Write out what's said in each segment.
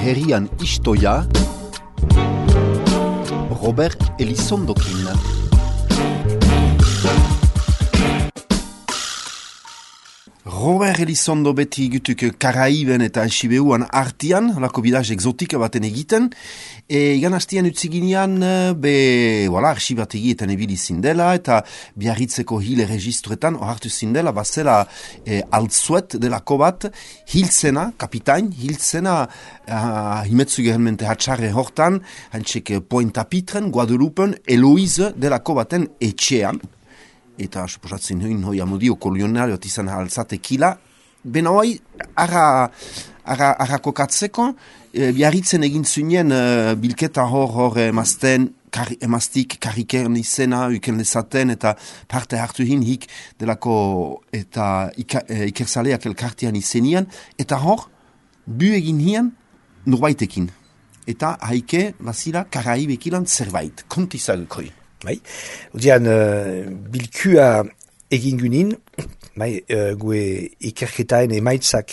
herrian istoia Robert Elizondokin. Robert Elizondo beti gutuk Karaiben eta Sibeuan artian, lako bidaz exotika baten egiten. Igan hastian utziginean, arxibategi eta nebili zindela, eta biarritzeko hile registruetan, ohartu zindela, bazela altzuet delako bat, hiltzena, kapitain, hiltzena, himetzu gehenmente hatxarre hortan, hantzek Pointe-à-Pitren, Guadeloupen, Eloise delako baten etxean. Eta suposatzen hoi amodio kolonionario bat izan alzatekila, bena hoi, arra kokatzeko, biarritzen egin zuen bilketa hor emaztik karikern izena, uken dezaten, eta parte hartu hik delako eta ikerzaleak elkartean izenian, eta hor, bu egin hien norbaitekin. Eta haike, bazira, Karaibekilan zerbait, kontizagukoi. Bai, udian bilkua egin gunin, gue ikerketaen emaitzak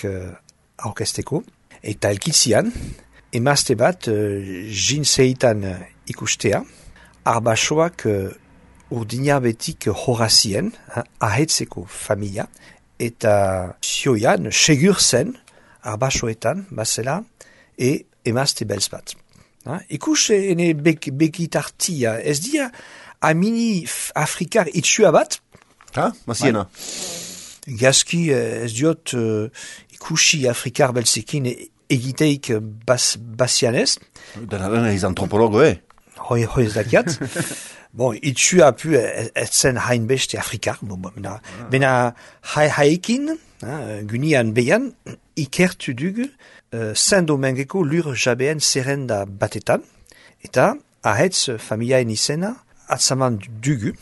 aurkezteko, eta elkitzian, emazte bat jinseitan ikustea, arbasoak urdinabetik horazien, ahetzeko familia, eta zioian, segur zen, arbasoetan, bazela, emazte belz bat. Ikus ene begitartia, ez dia amini afrikar itxua bat? Maziena. Gazki ez diot ikusi afrikar belzekin egiteik basianez. Dena ez antropologo, Hoi ez dakiat. Itxua pu ez zen hainbeste afrikar. Bena haekin, gunian behan, ikertu dugu, Saint-Domingeko lur jabeen zerrenda batetan, eta ahetz familiaen izena atzaman dugu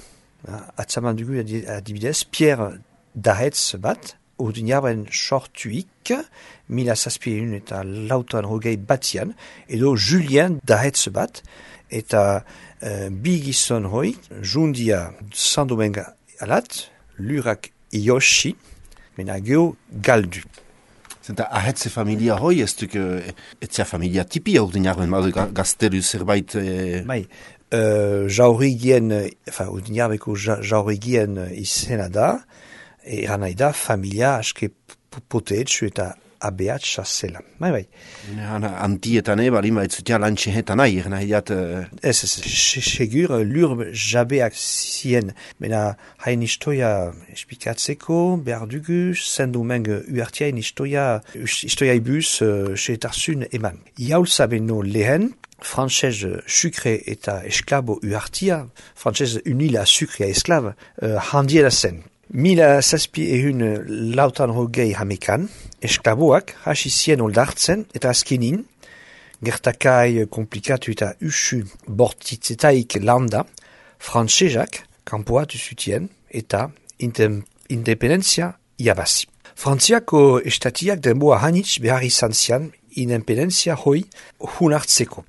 adibidez, Pierre dahetz bat, urdinaren sortuik, 1700 eta lautan hogei batian, edo Julien dahetz bat, eta bi gizon hoi, jundia Saint-Dominga alat, lurak iosi, mena geho galdu. Zenta ahetze familia hoi, ez duk etzia familia tipia urdinaren, gazteru zerbait... urdinarbeko jaurigien izena da, eran nahi da familia aske poteetxu eta abeatxa zela. Bai. Antietan balin baitzutia lantxehetan nahi, nahi dat... Segur, lur jabeak zien, mena hain istoia espikatzeko, behar dugu, Saint-Domingue uartiain istoia ibuz, seetarzun eman. Iaulza beno lehen, frantzez sucre eta esklabo uartia, frantzez unila sucre a esklab, handiela zen. 1700 lautan hogei hamekan, esklaboak hasi zien oldartzen eta azkenin, gertakai komplikatu eta usu bortitzetaik landa, frantzezak kanpoatu zutien eta independentzia iabazi. Frantziako estatiak denboa hanitz behar izan zian independentzia hoi hunartzeko.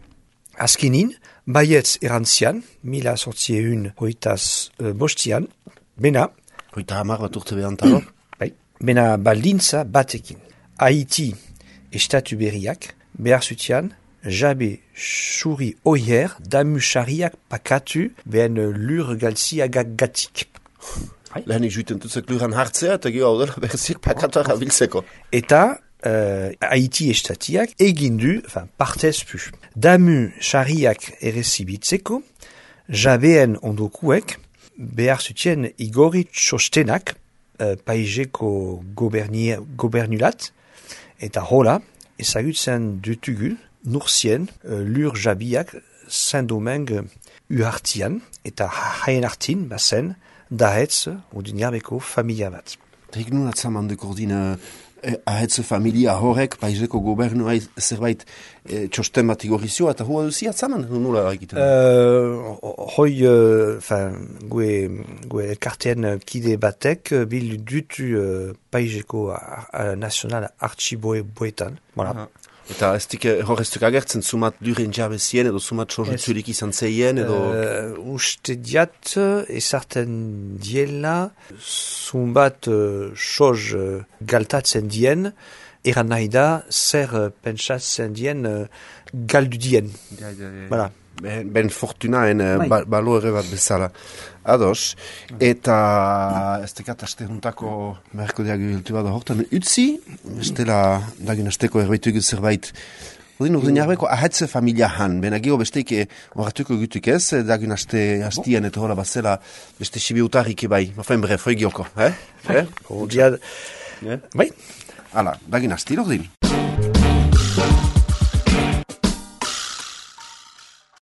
Azkenin, baietz erantzian, 1800 bena, Hoita hamar bat urte behantaro. Bena baldintza batekin. Haiti estatu berriak behar zutian jabe suri oier damusariak pakatu behen lur galtziagak gatik. Lehenik juiten tutzek luran hartzea eta gero dela berzik pakatuak abiltzeko. Eta Haiti estatiak egindu, partez pu. Damusariak errezibitzeko jabeen ondokuek behar zutien igori txostenak paizeko gobernulat, eta hola, ezagutzen dutugu nurzien lur jabiak Saint-Domingue uhartian, eta haien hartin bazen dahetz urdinarbeko familia bat. Eta nun atzaman dekordin ahetze familia horrek, paizeko gobernua zerbait txosten bat igorizioa, eta hoa duzi atzaman, nula egiten? Gue elkartean kide batek bil dutu paizeko nazional archiboetan. Voilà. Eta horreztuk agertzen, sumat duren jabezien, edo sumat sorotzurik izan zeien, edo... Uste diat, ezarten diela, sumbat soz galtatzen dien, eran nahi da, zer pentsatzen dien galdu dien. Voilà. Ben fortunaen balore bat bezala. Ados, eta ez tekat aste juntako beharko diagiltu bat hortan utzi, estela dagin asteko erbaitu zerbait. Urdin jarbeko ahatze familia han, bena geho besteike horatuko gutuk ez, dagin hastian eta hola bazela beste sibiutarrik bai. Mafain bref, hoi gioko, Bai. Bai. Hala, dagin hasti, urdin.